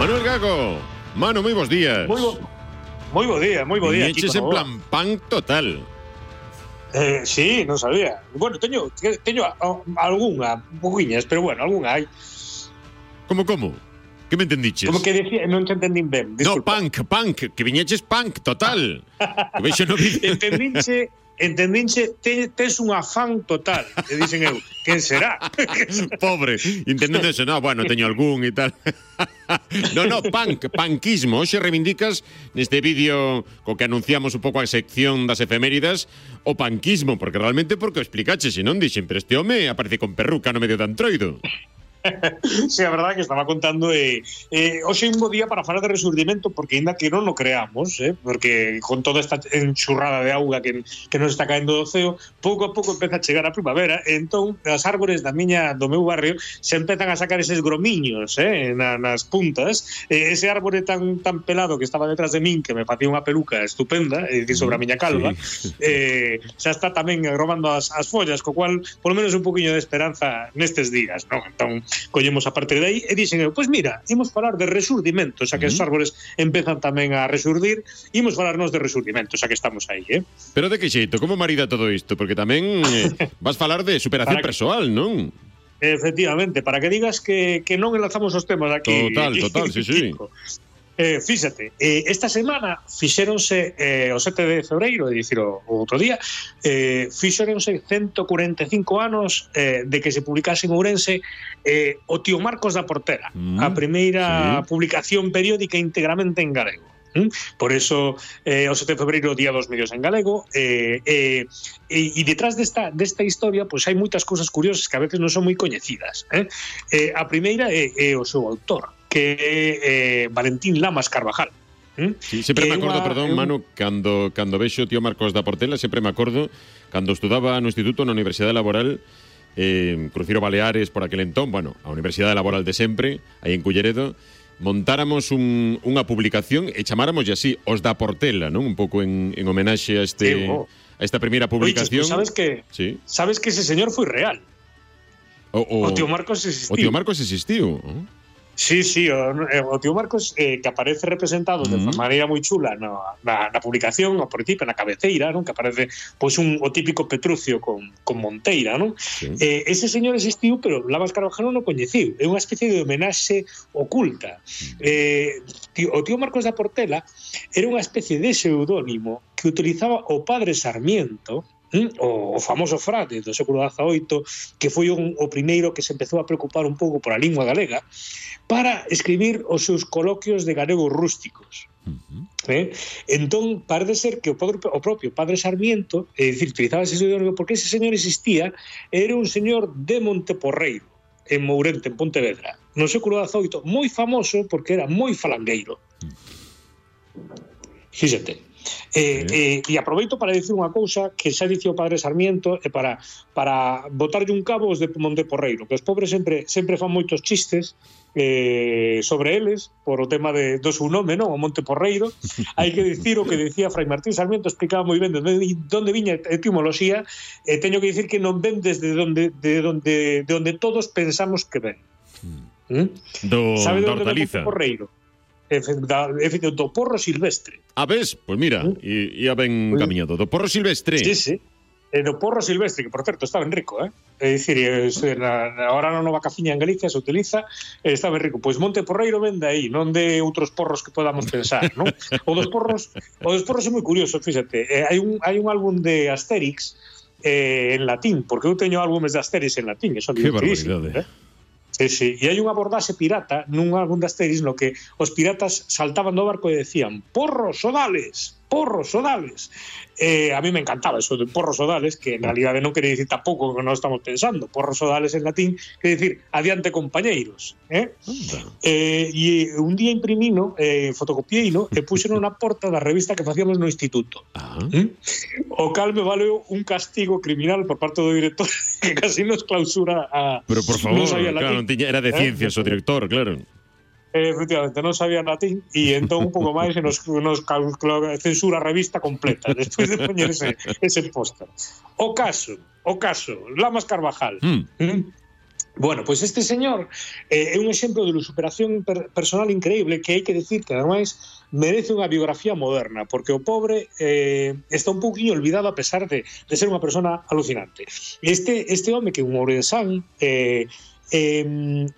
Manuel Gago. Mano, moi bons días. Moi bo día. Viñeches en plan punk total. Sí, non sabía. Bueno, teño algunha, poquiñas, pero bueno, algunha hai. Como? Que me entendiches? Como que decía, non te entendín ben. Disculpa. No, punk, que viñeches punk total. Que vexo no vídeo. Entendinche, tes un afán total. E dicen eu, quen será? Pobre, entendendo eso. No, bueno, teño algún e tal. No, punkismo. Hoxe reivindicas neste vídeo co que anunciamos un pouco a sección das efeméridas o punkismo, porque realmente porque o explicaches, se non dixen, pero este home aparece con perruca no medio de Antroido. Sí, a verdade que estaba contando hoxe é un bo día para falar de resurdimento, porque ainda que non o creamos, porque con toda esta enxurrada de auga que nos está caendo do ceo, pouco a pouco empeza a chegar a primavera, e entón as árbores do meu barrio se empezan a sacar eses gromiños nas puntas, ese árbore tan pelado que estaba detrás de min, que me facía unha peluca estupenda, sobre a miña calva, xa está tamén agromando as follas, co cual, polo menos un poquinho de esperanza nestes días, non? Entón collemos a partir de aí e dixen eu, pois mira, imos falar de resurdimento, xa que os árbores empezan tamén a resurdir, imos falarnos de resurdimento, xa que estamos aí, Pero de que xeito, como marida todo isto? Porque tamén vas falar de superación persoal, non? Efectivamente, para que digas que non enlazamos os temas aquí. Total, sí. Fíxate, esta semana fixéronse o 7 de febreiro, é dicir, o outro día, fixéronse 145 anos de que se publicase en Ourense o Tío Marcos da Portela, a primeira publicación periódica íntegramente en galego. Por eso o 7 de febreiro, día dos medios en galego, e detrás desta historia pois hai moitas cousas curiosas que a veces non son moi coñecidas. A primeira é o seu autor, que é Valentín Lamas Carvajal. Sí, sempre me acordo, perdón, Manu, cando vexo o Tío Marcos da Portela, sempre me acordo cando estudaba no instituto na Universidade Laboral, Cruzeiro Baleares por aquel entón, bueno, a Universidade Laboral de sempre, aí en Culleredo, montáramos unha publicación e chamáramos así, os da Portela, non? Un pouco en homenaxe a esta primeira publicación. Oiches, sabes que ese señor foi real. O Tío Marcos existiu. O Tío Marcos existiu. Sí, o Tío Marcos que aparece representado de maneira moi chula na publicación, ao principio, na cabeceira, non? Que aparece pois o típico Petrucio con Monteira, non? Sí. Ese señor existiu, pero Lamas Carvajal non o coñeciu. É unha especie de homenaxe oculta. O Tío Marcos da Portela era unha especie de pseudónimo que utilizaba o padre Sarmiento, o famoso frade do século XVIII, que foi o primeiro que se empezou a preocupar un pouco por a lingua galega, para escribir os seus coloquios de galego rústicos. Entón, parece ser que o propio padre Sarmiento, é dicir, utilizaba ese pseudónimo porque ese señor existía, era un señor de Monteporreiro, en Mourente, en Pontevedra, no século XVIII, moi famoso porque era moi falangueiro. Fíxate. E aproveito para dicir unha cousa que xa dicía o padre Sarmiento, e para botarlle un cabo os de Monteporreiro, que os pobres sempre fan moitos chistes sobre eles por o tema do seu nome, non? O Monteporreiro. Hai que dicir o que decía Fray Martín Sarmiento, explicaba moi ben de onde viña a etimoloxía, e teño que dicir que non ven desde onde todos pensamos que ven. Sabe de onde ven Monteporreiro? Do porro silvestre. Ves? Pois mira, ia ben camiñado. Do porro silvestre. Sí. Do porro silvestre, que por certo está ben rico, É dicir, ahora na nova cafiña en Galicia se utiliza, está ben rico. Pois Monteporreiro ven de aí, non de outros porros que podamos pensar, non? O dos porros é moi curioso, fíxate. Hai un álbum de Asterix en latín, porque eu teño álbumes de Asterix en latín, eso é divertidísimo, Sí. E hai unha abordaxe pirata nun álbum de Asterix no que os piratas saltaban do barco e decían porros sodales. A mí me encantaba eso de porros sodales, que en realidade non quere dicir tampouco que non estamos pensando. Porros sodales en latín quere dicir adiante compañeiros. E un día imprimino, fotocopieino, e puxeno na porta da revista que facíamos no instituto. O cal me valeu un castigo criminal por parte do director que casi nos clausura a... Pero por favor, claro, era de ciencias o director, claro. Efectivamente, non sabía latín e entón un pouco máis e nos censura a revista completa despois de poñer ese póster. O caso, Lamas Carvajal. Bueno, pois este señor é un exemplo de superación personal increíble que hai que decir que ademais merece unha biografía moderna, porque o pobre está un pouquinho olvidado a pesar de ser unha persona alucinante. Este home que é un ourensán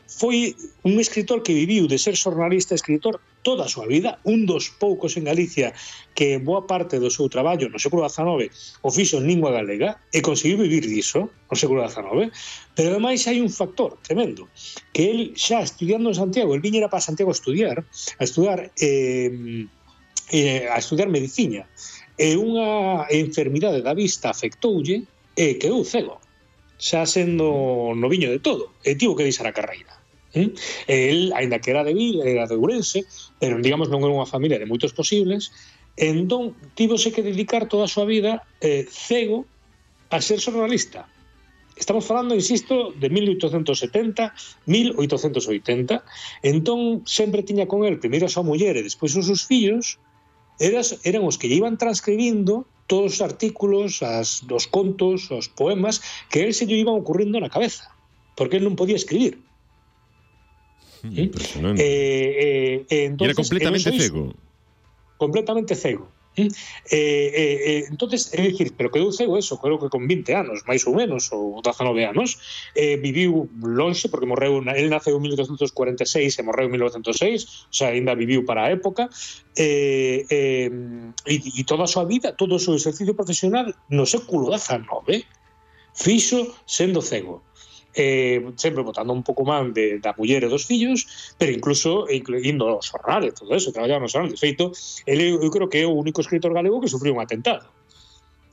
foi un escritor que viviu de ser xornalista e escritor toda a súa vida, un dos poucos en Galicia que boa parte do seu traballo no século XIX o fixo en lingua galega e conseguiu vivir diso no século XIX, pero ademais hai un factor tremendo, que el xa estudiando en Santiago, el viñera para Santiago a estudiar medicina, e unha enfermidade da vista afectoulle e quedou cego, xa sendo noviño de todo, e tivo que deixar a carreira. El, aínda que era de Vil, era de Ourense, pero digamos non era unha familia de moitos posibles, entón tivose que dedicar toda a súa vida cego a ser xornalista. Estamos falando, insisto, de 1870, 1880, entón sempre tiña con el primeiro a súa muller e despois os seus fillos, eran os que lle iban transcribindo todos os artículos, os contos, os poemas que él se lle iban ocurrindo na cabeza, porque él non podía escribir. Impresionante. Entonces, era completamente cego. Completamente cego. Entonces, é dicir, pero quedou cego eso, creo que con 20 anos, máis ou menos, ou 19 anos, viviu lonxe, porque morreu, el naceu en 1846 e morreu en 1906, o sea, ainda viviu para a época, e toda a súa vida, todo o seu exercicio profesional no século XIX fixo sendo cego. Sempre botando un pouco mal da muller e dos fillos, pero incluso indo aos xornales, todo eso, traballaba nos xornales. De feito, eu creo que é o único escritor galego que sufriu un atentado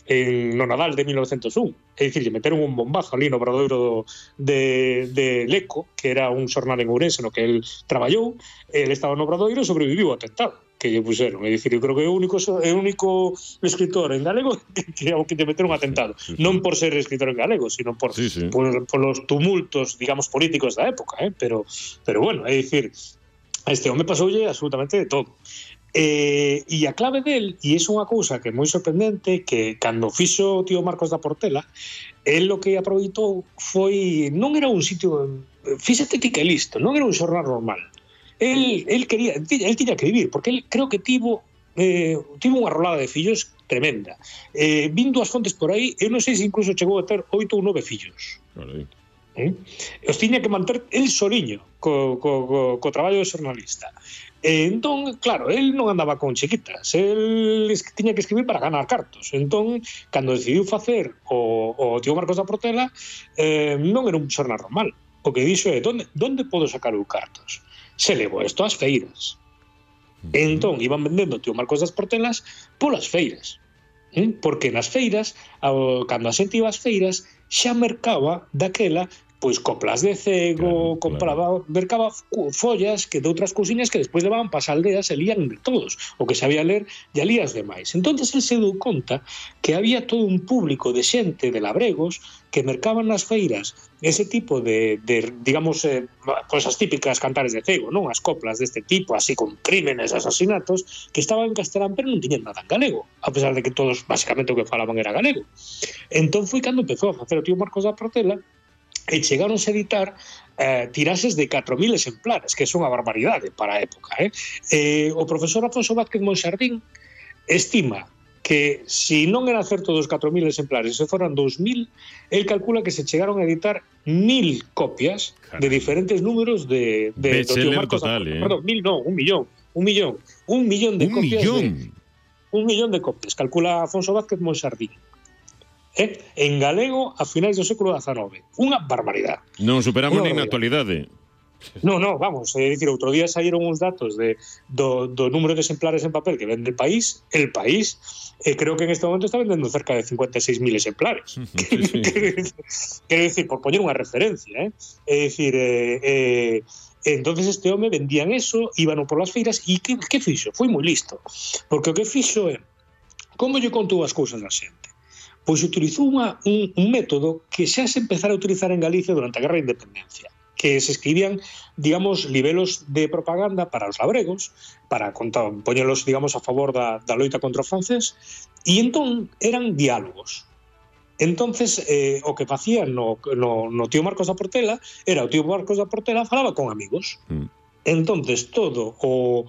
no Nadal de 1901. É dicir, lle meteron un bombazo ali no obradoiro de Leco, que era un xornal en Ourense no que el traballou, el estaba no obradoiro e sobreviviu ao atentado que lle puseron. É dicir, eu creo que é o único escritor en galego que lle meteron un atentado. Non por ser escritor en galego, sino por los tumultos, digamos, políticos da época, pero bueno, é dicir, a este home pasoulle absolutamente de todo. E a clave del, e é unha cousa que é moi sorprendente, que cando fixo o tío Marcos da Portela, el o que aproveitou foi, non era un sitio, fíxate ti que listo, non era un xornal normal. El tiña que vivir, porque el creo que tivo unha rolada de fillos tremenda. Vindo as fontes por aí, eu non sei se incluso chegou a ter 8 ou 9 fillos. Os tiña que manter el soliño co traballo de xornalista. Entón, claro, el non andaba con chiquitas, el tiña que escribir para ganar cartos. Entón, cando decidiu facer o tío Marcos da Portela, non era un xornal normal. O que dixo é, onde podo sacar os cartos? Se levou isto ás feiras. Entón, iban vendendo o tío Marcos das Portelas polas feiras. Porque nas feiras, cando a xente iba ás feiras, xa mercaba daquela pois coplas de cego, mercaba follas que de outras cousiñas que despois levaban para as aldeas e lían de todos, o que sabía ler e alías demais. Entonces el se deu conta que había todo un público de xente de labregos que mercaban nas feiras ese tipo de digamos, cosas típicas cantares de cego, non? As coplas deste tipo, así con crímenes, asasinatos, que estaban en castelán pero non tiñan nada en galego, a pesar de que todos basicamente o que falaban era galego. Entón foi cando empezou a facer o tío Marcos da Portela e chegaronse a editar tiraxes de 4.000 exemplares, que son a barbaridade para a época. O profesor Afonso Vázquez Monxardín estima que se non era certo dos 4.000 exemplares, se foran 2.000, el calcula que se chegaron a editar 1.000 copias de diferentes números de Tío Marcos total, perdón, 1.000 non, 1 millón. 1 millón de copias. Un millón de copias, calcula Afonso Vázquez Monxardín. En galego a finais do século XIX. Unha barbaridade. Non superamos nin na actualidade. No, vamos, é dicir, outro día saíron uns datos do número de exemplares en papel que vende el País, creo que en este momento está vendendo cerca de 56.000 exemplares. Quero dicir, por poñer unha referencia, é dicir, entonces este home vendían eso, íbano por las feiras, e que fixo? Foi moi listo, porque o que fixo é, como lle contou as cousas da xente? Pois utilizou un método que xa se empezara a utilizar en Galicia durante a Guerra de Independencia, que se escribían, digamos, libelos de propaganda para os labregos, para poñelos, digamos, a favor da loita contra o francés, e entón eran diálogos. Entonces, o que facían no tío Marcos da Portela era o tío Marcos da Portela falaba con amigos. Entonces, todo o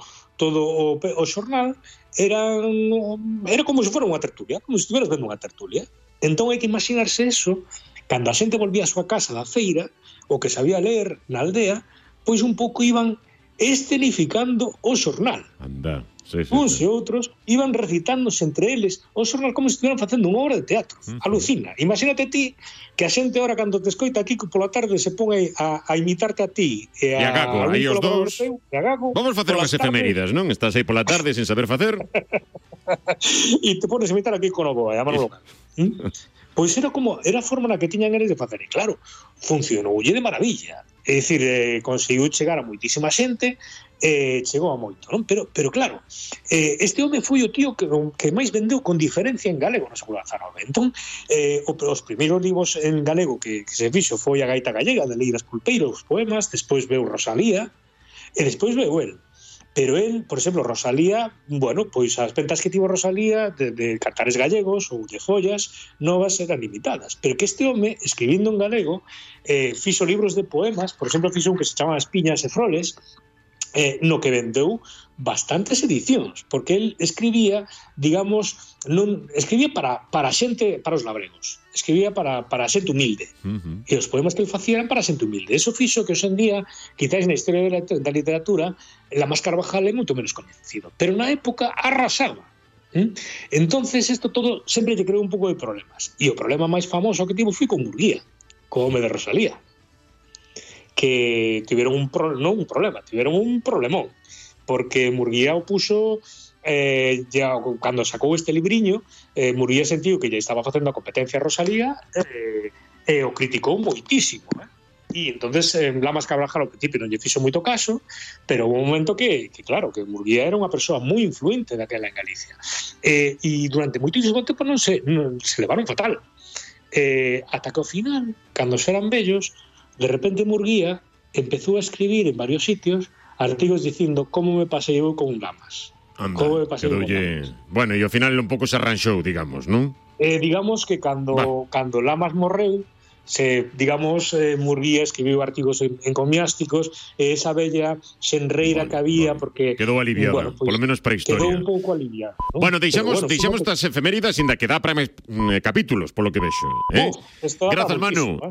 xornal era como se fora unha tertulia, como se estiveras vendo unha tertulia. Entón hai que imaginarse eso cando a xente volvía a súa casa da feira, o que sabía ler na aldea, pois un pouco iban escenificando o xornal. Anda. Uns e outros iban recitándose entre eles o xornal como se estiveran facendo unha obra de teatro. Alucina. Imagínate ti que a xente ahora cando te escoita aquí pola tarde se pon a imitarte a ti e a Gago, aí os dous. Vamos facer unhas efeméridas, non? Estás aí pola tarde sin saber facer. E te pones a imitar aquí con o Boa, a Manolo Cano. Pois era a forma na que tiñan eles de facer. E claro, funcionoulle de maravilla. É dicir, conseguiu chegar a moitísima xente, chegou a moito, non? Pero claro, este home foi o tío que máis vendeu con diferencia en galego no século XIX. Entón, os primeiros libros en galego que se fixo foi A Gaita Gallega, de Leiras Pulpeiro, os poemas, despois veu Rosalía, e despois veu el. Pero el, por exemplo, Rosalía, bueno, pois as ventas que tivo Rosalía de cantares gallegos ou de follas novas eran limitadas. Pero que este home, escribindo en galego, fixo libros de poemas, por exemplo, fixo un que se chama As Piñas e Froles, no que vendeu bastantes edicións, porque el escribía, digamos, escribía para xente, para os labregos, escribía para xente humilde, e os poemas que el facía eran para xente humilde. Eso fixo que hoxe en día, quizáis na historia da literatura, Lamas Carvajal é moito menos conhecido, pero na época arrasaba. Entonces isto todo sempre lle creou un pouco de problemas, e o problema máis famoso que tivo foi con Murguía, co home de Rosalía, que tiveron un problemón, porque Murguía o puso ya cando sacou este libriño, Murguía sentiu que ya estaba facendo a competencia a Rosalía, e o criticou moitísimo, e entonces Lamas Carvajal ao principio non lle fixo moito caso, pero houve un momento que claro, que Murguía era unha persoa moi influente daquela en Galicia, e durante moitísimo tempo non se levaron fatal, ata que ao final, cando eran vellos, de repente Murguía empezou a escribir en varios sitios artigos dicindo como me pasei eu con Lamas. Anda, bueno, e ao final un pouco se arranxou, digamos, non? Digamos que cando Lamas morreu, Murguía escribiu artigos encomiásticos, e esa bella xenreira que había, porque quedou aliviada, polo menos para a historia. Quedou un pouco aliviada, ¿no? Bueno, deixamos estas efeméridas, ainda que dá para máis capítulos, polo que vexo. Grazas, Manu.